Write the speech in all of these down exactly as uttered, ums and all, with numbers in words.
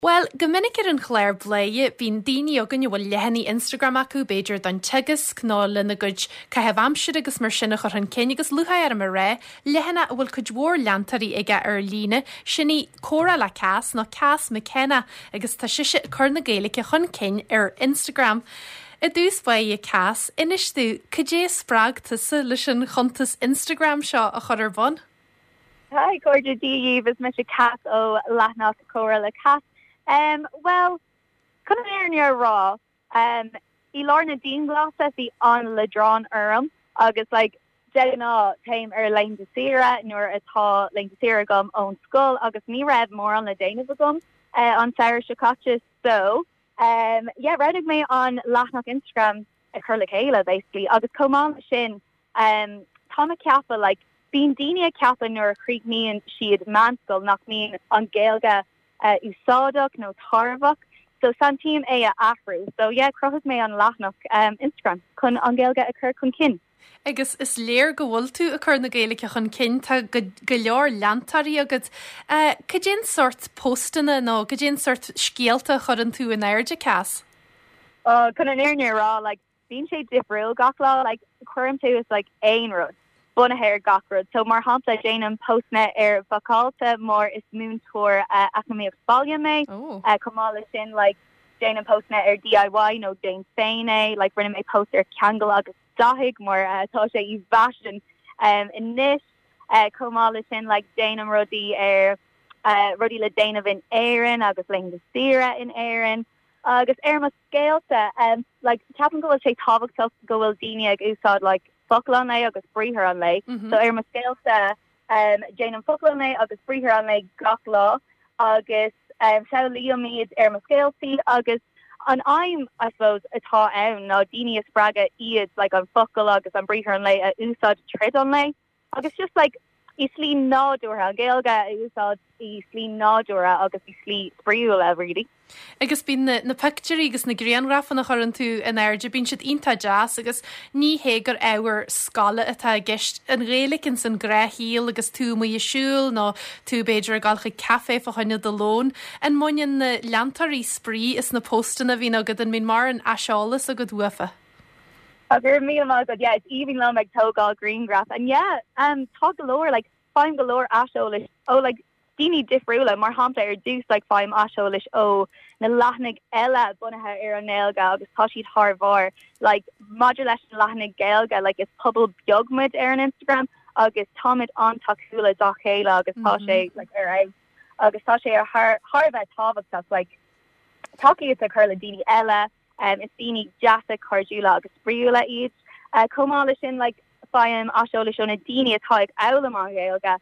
Well, go minic ar an chlár Bladhaire bíonn daoine againn a bhfuil leathanaigh Instagram acu b'fhéidir don teagasc nó lena gcuid caitheamh aimsire agus mar sin a chur chun cinn agus lúcháir orm a rá leathanach a bhfuil cuid mhór leantóirí aige ar líne sin í Comhrá le Cass nó Cass McKenna agus tá sise ag cur na Gaeilge chun cinn ar Instagram. I dtús báire Cass, inis domh cad é a spreag tusa leis an chuntas Instagram seo a chur ar bun? Hi cairde Dia daoibh is mise Cass ó leathanach Comhrá le Cass. Um, well chun an fhírinne a rá um, i lár na dianghlasála bhí an-leadrán orm agus like, de ghnáth téim ar laethanta saoire nuair atá laethanta saoire agam ón scoil agus ní raibh mórán le déanamh agam uh, an samhradh seo caite so um, yeah, roghnaigh mé an leathanach Instagram a chur le chéile basically agus chomh maith sin um, tá mé ag ceapadh like, bíonn daoine ag ceapadh nuair a chríochnaíonn siad meánscoil nach mbíonn an Ghaeilge uh, úsáideach nó tairbheach so santaím é a athrú so yeah chruthaigh mé an leathanach um, Instagram chun an Ghaeilge a chur chun cinn. Agus is léir go bhfuil tú ag cur na Gaeilge chun cinn tá go, go leor leantóirí agat. Uh, Cad é an sórt postanna nó cad é an sórt scéalta a chuireann tú in airde Cass? Uh, chun an fhírinne a rá like, bíonn sé difriúil gach lá like, cuirim suas like, aon rud. bunaithe ar gach rud. So mar shampla déanaim postanna ar bhacáilte mar is múinteoir uh, eacnamaíocht baile mé Oh. uh, chomh maith le sin like, déanaim postanna ar DIY nó déan féin é, like, rinne mé post ar ceangal agus dathaigh mar uh, tá sé i bhfaisean um, anois uh, chomh maith le sin like, déanaim rudaí ar uh, rudaí le déanamh in Éirinn agus laethanta saoire in Éirinn. agus ar mo scéalta um, like, ceapaim go bhfuil sé tábhachtach go bhfuil daoine ag úsáid like, focal an lae agus briathar an lae. Mm -hmm. So ar mo scéalta um, déanaim focal an lae agus briathar an lae gach lá agus um, samhlaím iad ar mo scéaltaí agus an aidhm I suppose atá ann ná daoine a spreagadh iad like, an focal agus an briathar an lae a úsáid tríd an lá agus just like i slí nádúrtha an Ghaeilge a úsáid i slí nádúrtha agus i slí spraíúil really. Agus bíonn na, na pictiúirí agus na grianghrafanna a chuireann tú in airde bíonn siad iontach deas agus ní hé gur ábhar scoile atá i gceist an Ghaeilge in san ghnáthshaol agus tú amuigh ag siúl nó tú b'fhéidir ag dul chuig caife fá choinne do lón. An mbaineann na leantóirí spraoi as na postanna a bhíonn agat an mbíonn mórán aiseolas agat uafa. Agur mí go yeah, it's even liom ag tógáil grianghraf and yeah um tá go leor like faighim go leor aiseolais ó like daoine difriúla mar shampla ar dtús like faighim aiseolais ó na leathanaigh eile bunaithe ar an nGaeilge agus tá siad thar barr like maidir leis an leathanaigh Gaeilge like is pobal beag muid ar an Instagram agus táimid an-tacúil dá chéile agus tá sé mm -hmm. like ar é agus tá sé ar thar thar bheith tábhachtach like tacaíocht a chur le daoine eile um, is daoine deasa cairdiúla agus spraíúla iad. Uh, chomh maith le sin like, faighim aiseolas ó na daoine atá ag foghlaim an Ghaeilge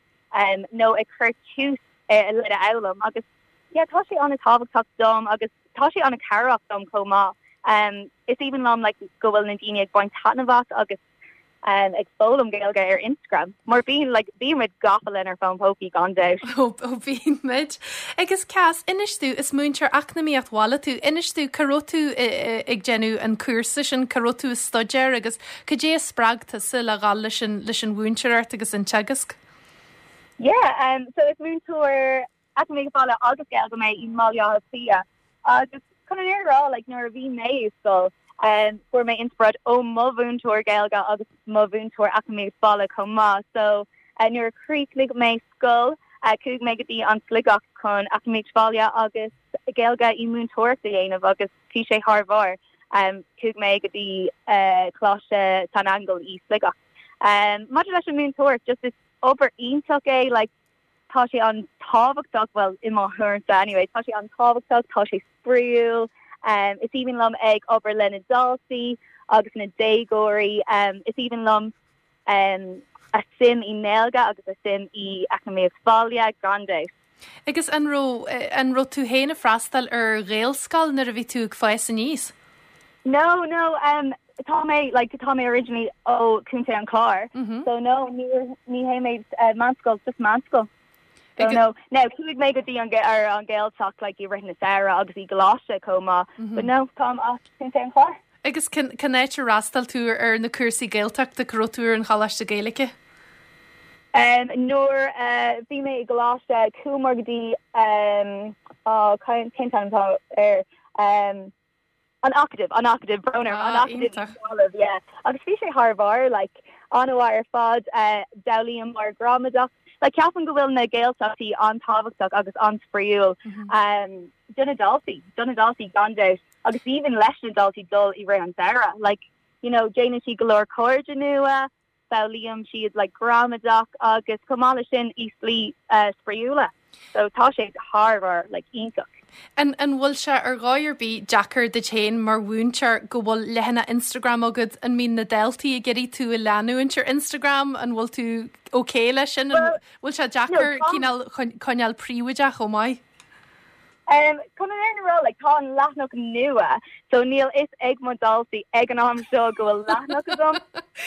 um, nó ag cur tús uh, le foghlaim agus yeah, tá sé an-tábhachtach dom agus tá sé an-chabhrach dom chomh maith. Um, is aoibhinn liom like, go bhfuil na daoine ag baint taitneamh as agus um, ag foghlaim Gaeilge ar Instagram. Mar bíonn like, bímid gafa lenár bhfón pócaí gan dabht. ó bíonn muid. Agus Cass inis domh is múinteoir eacnamaíocht bhaile tú inis domh cá raibh tú ag déanamh an cúrsa sin cá raibh tú ag staidéar agus cad é a spreag tusa le dhul leis an leis an mhúinteoireacht agus an teagasc. Yeah, um, so is múinteoir eacnamaíocht bhaile agus Gaeilge mé i mBaile Átha Cliath agus chun an fhírinne a rá like, nuair a bhí mé i scoil um, fuair mé inspioráid ó mo mhúinteoir Gaeilge agus mo mhúinteoir eacnamaíocht bhaile chomh maith so uh, nuair a chríochnaigh mé scoil uh, chuaigh mé go dtí an Sligeach chun eacnamaíocht bhaile agus Gaeilge i múinteoireacht a dhéanamh agus bhí sé thar barr um, chuaigh mé go dtí uh, Coláiste San Aingeal i Sligeach. Um, Maidir leis an múinteoireacht just is obair iontach é like, tá sé an-tábhachtach well i mo thuairimse anyway tá sé an-tábhachtach tá sé spraíúil um, is aoibhinn liom ag obair le na daltaí agus na déagóirí um, is aoibhinn liom um, a suim i nGaeilge agus a suim i eacnamaíocht bhaile gan dabht. Agus an raibh an raibh tú féin ag freastal ar Ghaelscoil nuair a bhí tú ag fás aníos? No no um, tá mé like tá mé originally ó Chontae an Chláir mm -hmm. so no ní ní hé mé uh, meánscoil just meánscoil. So no now chuaigh mé go dtí an ar an Gaeltacht like i rith na samhradh agus i gcoláiste chomh maith mm -hmm. but no táim as Contae an Chláir. Agus cén áit ar fhreastail tú ar na cúrsaí Gaeltachta cá raibh tú ar an Choláiste Gaeilge? Um, nuair uh, bhí mé i gcoláiste chuamar go dtí um, oh cén cén t-ainm atá air um an Acadamh an Acadamh brón orm an Ah, Acadamh iontach. yeah agus bhí sé thar barr like an-mhaith ar fad uh, d'fhoghlaim gramadach like ceapaim go bhfuil na Gaeltachtaí an-tábhachtach agus an-spraíúil um do na daltaí do na daltaí gan dabht agus even leis na daltaí dul i rith an samhradh like you know déanann siad go leor cairde nua foghlaimíonn siad like gramadach agus chomh maith leis sin i slí uh, spraíúla so tá sé thar barr like iontach An an bhfuil sé ar dhóigh ar bith deacair duit féin mar mhúinteoir go bhfuil leathanach Instagram agat an mbíonn na daltaí ag iarraidh tú a leanúint ar Instagram an bhfuil tú okay leis sin An bhfuil sé deacair no, tá- cineál coinneáil príobháideach chomh maith? Um, chun an fhírinne a rá like, tá an leathanach nua, so níl fhios ag mo daltaí ag an am seo go bhfuil leathanach agam.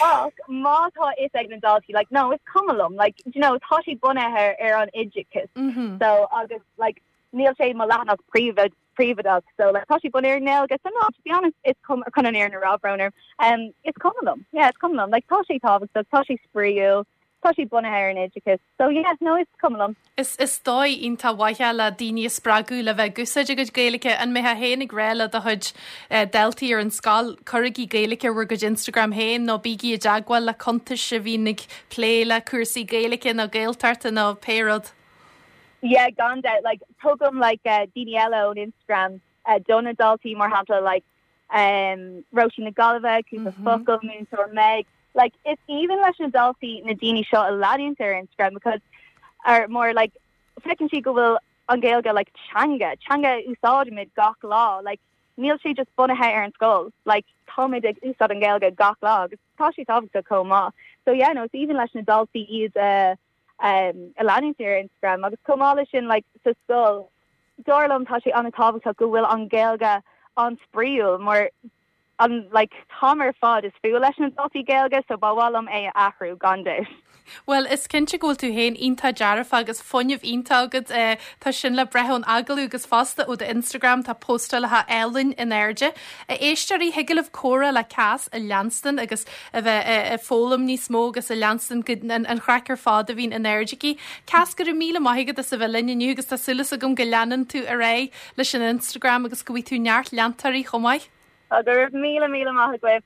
Ach má tá fhios ag na daltaí like no is cuma liom like you know tá sé bunaithe ar an oideachas. Mm -hmm. So agus like níl sé mo leathanach príomha príobháideach so like tá sé bunaithe ar an nGaeilge so no to be honest is cuma chun an fhírinne a rá brón orm um is cuma liom yeah is cuma liom like tá sé tábhachtach tá sé spraíúil tá sé bunaithe ar an oideachas so yeah no is cuma liom Is is dóigh iontach mhaith le daoine a spreagadh le bheith ag úsáid a gcuid Gaeilge an mbeifeá féin ag rá le do chuid eh, daltaí ar an scoil cuirigí Gaeilge ar bhur gcuid Instagram féin nó bígí i dteagmháil le cuntais a bhíonn ag plé le cúrsaí Gaeilge nó Gaeltachta nó pé rud. Yeah, gan dabht like tugaim like uh, daoine eile on Instagram uh, do na daltaí mar shampla like um Róisín na Gaillimhe cúpla mm -hmm. focal múinteoir Meg like it's even leis na daltaí na daoine seo a leanúint ar Instagram because are more like feiceann siad go bhfuil an Ghaeilge like teanga teanga úsáidimid gach lá like níl sé just bunaithe ar an scoil like táimid ag úsáid an Ghaeilge gach lá agus tá sé tábhachtach chomh maith so yeah no it's even leis na daltaí iad uh, um, a leanúint ar Instagram agus chomh maith leis sin like sa scoil dar liom tá sé an-tábhachtach go bhfuil an Ghaeilge an-spraíúil mar an like tá ar fad is fiú leis na daltaí Gaeilge so ba mhaith liom é a athrú gan dabht. Well is cinnte go bhfuil tú féin iontach dearfach agus fuinneamh iontach agat eh, tá sin le brath ón agallamh agus fosta ó do Instagram tá postálacha álainn in airde. A éisteoirí thig libh comhrá le Cass a leanstan agus a bheith eh, ag foghlaim níos mó agus a leanstan go- an, an chraic ar fad a bhíonn in airde aici. Cass go raibh míle maith agat as a bheith linn inniu agus tá súil agam go leanann tú ar aghaidh leis an Instagram agus go bhfaighidh tú neart leantóirí chomh maith. Go raibh míle míle maith agaibh.